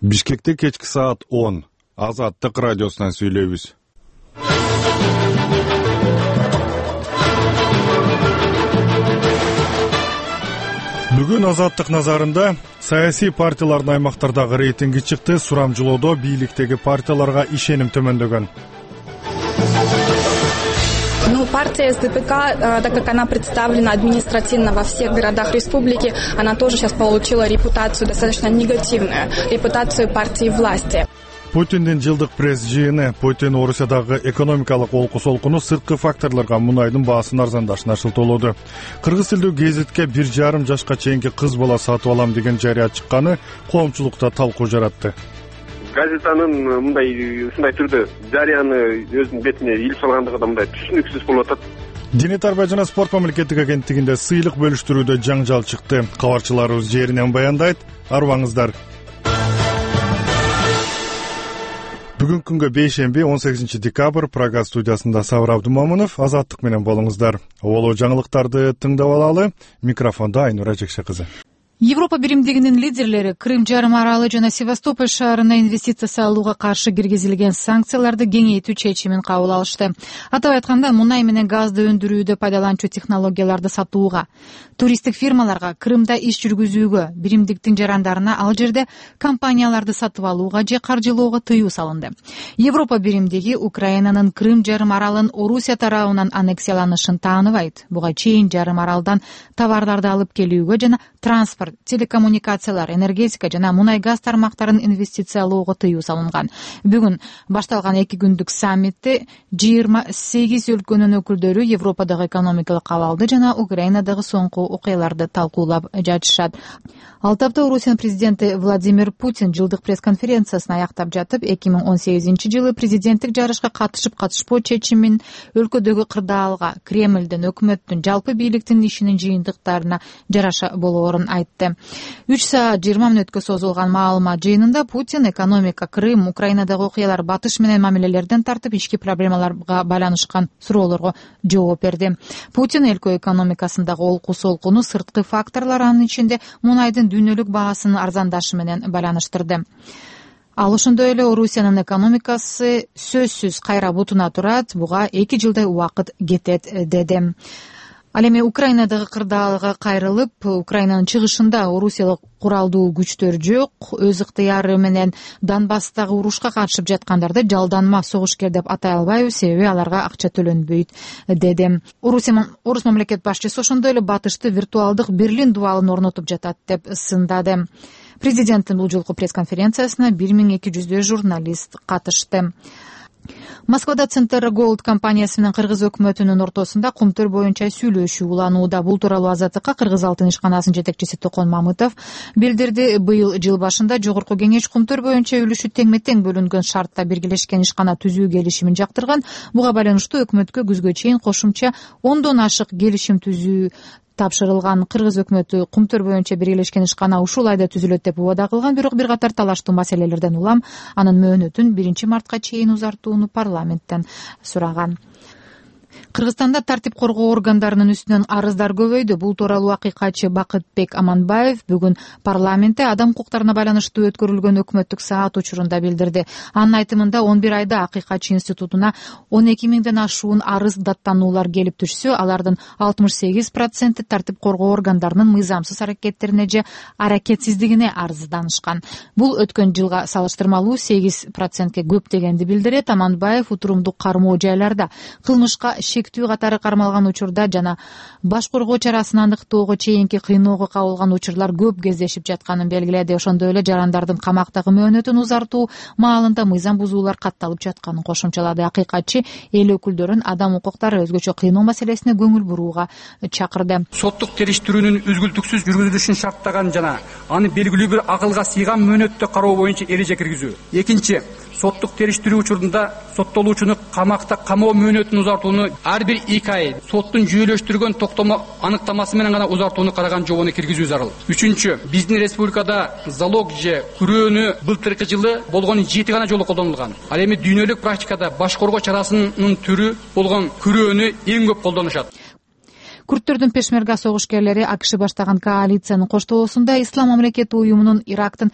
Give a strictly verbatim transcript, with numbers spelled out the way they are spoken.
Бишкекте кечки саат он. Азаттык радиосунан сүйлөйбүз. Бүгүн Азаттык назарында саясий партиялардын аймактардагы рейтинги чыкты. Сурамжылоодо бийликтеги партияларга ишеним төмөндөгөн. Ну, партия СДПК, так как она представлена административно во всех городах республики, она тоже сейчас получила репутацию достаточно негативную, репутацию партии власти. Путиндин жылдык пресс жыйыны. Путин Орусиядагы экономикалык олку-солкуну сырткы факторлорго мунайдын баасын арзандашына шылтоолоду. Кыргыз тилдүү гезитке бир жарым жашка чейинки кыз бала сатып алам деген жарыя чыкканы коомчулукта талкуу жаратты. Газетанын мындай ушундай түрдө жарыяны өзүнүн бетине илип салгандыгы да мындай түшүнүксүз болуп атат. Диний тарбия жана спорт мамлекеттик агенттигинде сыйлык бөлүштүрүүдө жаңжал чыкты. Кабарчыларыбыз жеринен баяндайт. Арыбаңыздар. Бүгүнкү күнгө бейшемби он сегизинчи декабрь Прага студиясында Сабыр Абдумамынов, Азаттык менен болуңуздар. Оло жаңылыктарды тыңдап алалы. Микрофондо Айнура Жекше кызы. Европа биримдигинин лидерлери Крым жарым аралы жана Севастополь шаарына инвестиция салууга каршы киргизилген санкцияларды кеңейтүү чечимин кабыл алышты. Атап айтканда, мунай менен газды өндүрүүдө пайдаланчу технологияларды сатууга, туристтик фирмаларга Крымда иш жүргүзүүгө, биримдиктин жарандарына ал жерде компанияларды сатып алууга же каржылоого тыюу салынды. Европа биримдиги Украинанын Крым жарым аралын Орусия тарабынан аннексияланышын тааныбайт. Буга чейин жарым аралдан товарларды алып келүүгө жана транспорт, телекоммуникациялар, энергетика жана мунай газ тармактарын инвестициялоого тыюу салынган. Бүгүн башталган эки күндүк саммитте жыйырма сегиз өлкөнүн өкүлдөрү Европадагы экономикалык абалды жана Украинадагы соңку окуяларды талкуулап жатышат. Ал тапта Орусиянын президенти Владимир Путин жылдык пресс-конференциясын аяктап жатып, эки миң он сегизинчи жылы президенттик жарышка катышып катышпоо чечимин өлкөдөгү кырдаалга, Кремлдин, өкмөттүн, жалпы бийликтин ишинин жыйынтыктарына жараша болоорун айтты. үч саат жыйырма мүнөткө созулган маалымат жыйынында Путин экономика, Крым, Украинадагы окуялар, батыш менен мамилелерден тартып ички проблемаларга байланышкан суроолорго жооп берди. Путин өлкө экономикасындагы олку-солкуну сырткы факторлор, анын ичинде мунайдын дүйнөлүк баасынын арзандашы менен байланыштырды. Ал ошондой эле Орусиянын экономикасы сөзсүз кайра бутуна турат, буга эки жылдай убакыт кетет деди. Ал эми Украинадагы кырдаалга кайрылып, Украинанын чыгышында Орусиялык куралдуу күчтөр жок, өз ыктыяры менен Донбасстагы урушка катышып жаткандарды жалданма согушкер деп атай албайбыз, себеби аларга акча төлөнбөйт деди. Орус мамлекет башчысы ошондой эле батышты виртуалдык Берлин дубалын орнотуп жатат деп сындады. Президенттин бул жолку пресс-конференциясына бир миң эки жүздөй журналист катышты. Москвада Центр Голд компаниясы менен кыргыз өкмөтүнүн ортосунда кумтөр боюнча сүйлөшүү уланууда. Бул тууралуу Азаттыкка Кыргыз алтын ишканасынын жетекчиси Токон Мамытов билдирди. Быйыл жыл башында Жогорку кеңеш кумтөр боюнча үлүшү теңме-тең бөлүнгөн шартта биргелешкен ишкана түзүү келишимин жактырган. Буга байланыштуу өкмөткө күзгө чейин кошумча ондон ашык келишим түзүү тапшырылган. Кыргыз өкмөтү кумтөр боюнча биргелешкен ишкана ушул айда түзүлөт деп убада кылган, бирок бир катар талаштуу маселелерден улам анын мөөнөтүн биринчи мартка чейин узартууну парламенттен сураган. Кыргызстанда тартип коргоо органдарынын үстүнөн арыздар көбөйдү. Бул тууралуу акыйкатчы Бакытбек Аманбаев бүгүн парламентте адам укуктарына байланыштуу өткөрүлгөн өкмөттүк саат учурунда билдирди. Анын айтымында он бир айда акыйкатчы институтуна он эки миңден ашуун арыз даттануулар келип түшсө, алардын алтымыш сегиз проценти тартип коргоо органдарынын мыйзамсыз аракеттерине же аракетсиздигине арызданышкан. Бул өткөн жылга салыштырмалуу сегиз процентке көп дегенди билдирет. Аманбаев утурумдук кармоо жайларда кылмышка шектүү катары кармалган учурда жана баш коргоо чарасын аныктоого чейинки кыйноого кабылган учурлар көп кездешип жатканын белгиледи. Ошондой эле жарандардын камактагы мөөнөтүн узартуу маалында мыйзам бузуулар катталып жатканын кошумчалады. Акыйкатчы эл өкүлдөрүн адам укуктары өзгөчө кыйноо маселесине көңүл бурууга чакырды. Соттук териштирүүнүн үзгүлтүксүз жүргүзүлүшүн шарттаган жана аны белгилүү бир акылга сыйган мөөнөттө кароо боюнча эреже киргизүү. Экинчи, соттук териштирүү учурунда соттолуучуну камакта камоо мөөнөтүн узартууну ар бир эки ай соттун жүйөлөштүргөн токтомо аныктамасы менен гана узартууну караган жобону киргизүү зарыл. Үчүнчү, биздин республикада залог же күрөөнү былтыркы жылы болгон жети гана жолу колдонулган. Ал эми дүйнөлүк практикада баш коргоо чарасынын түрү болгон күрөөнү эң көп колдонушат. Курдтөрдүн пешмерга согушкерлери АКШ баштаган коалициянын коштоосунда Ислам мамлекети уюмунун Ирактын